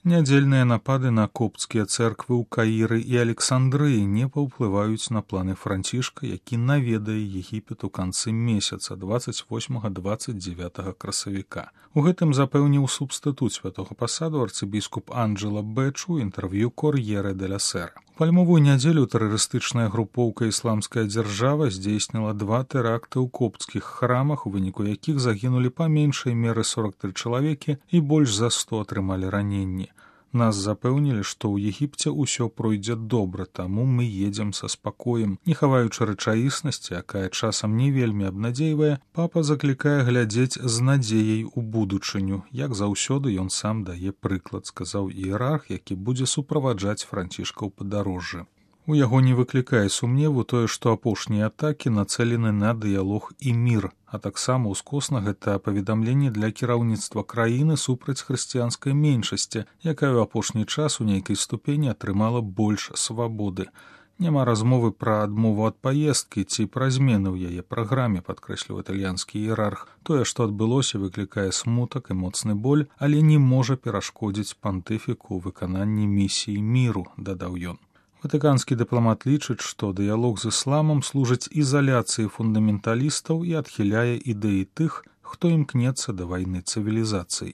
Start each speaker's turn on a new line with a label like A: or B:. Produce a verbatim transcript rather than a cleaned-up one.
A: Нядзельныя напады на копцкія цэрквы ў Каіры і Александрыі не паўплываюць на планы Францішка, які наведае Егіпет у канцы месяца дваццаць восьмага - дваццаць дзевятага красавіка. У гэтым запэўніў субстытут святога пасаду арцыбіскуп Анджела Бэч у інтэрв'ю Кор'ере де ла Сера. Пальмовую нядзелю тэрарыстычная групоўка «Ісламская дзяржава» здзейсніла два тэракты ў копцкіх храмах, у выніку якіх загінулі па меншай меры сорак тры чалавекі і больш за сто атрымалі раненні. Нас запэўнілі, што ў Егіпце ўсё пройдзе добра, таму мы едзем са спакоем. Не хаваючы рэчаіснасці, якая часам не вельмі абнадзейвае, папа заклікае глядзець з надзеяй у будучыню. Як заўсёды ён сам дае прыклад, сказаў іерарх, які будзе суправаджаць Францішка ў падарожжы. У яго не выклікае сумневу тое, што апошнія атакі нацэлены на дыялог і мір, а таксама ўскосна гэта паведамленне для кіраўніцтва краіны супраць хрысціянскай меншасці, якая ў апошні час у нейкай ступені атрымала больш свабоды. Няма размовы пра адмову ад паездкі ці пра змены ў яе праграме, падкрэсліў італьянскі іерарх. Тое, што адбылося, выклікае смутак і моцны боль, але не можа перашкодзіць пантыфіку ў выкананні місіі міру, дадаў ён. Ватыканскі дыпламат лічыць, што дыялог з ісламам служыць ізаляцыі фундаменталістаў і адхіляе ідэі тых, хто імкнецца да вайны цывілізацый.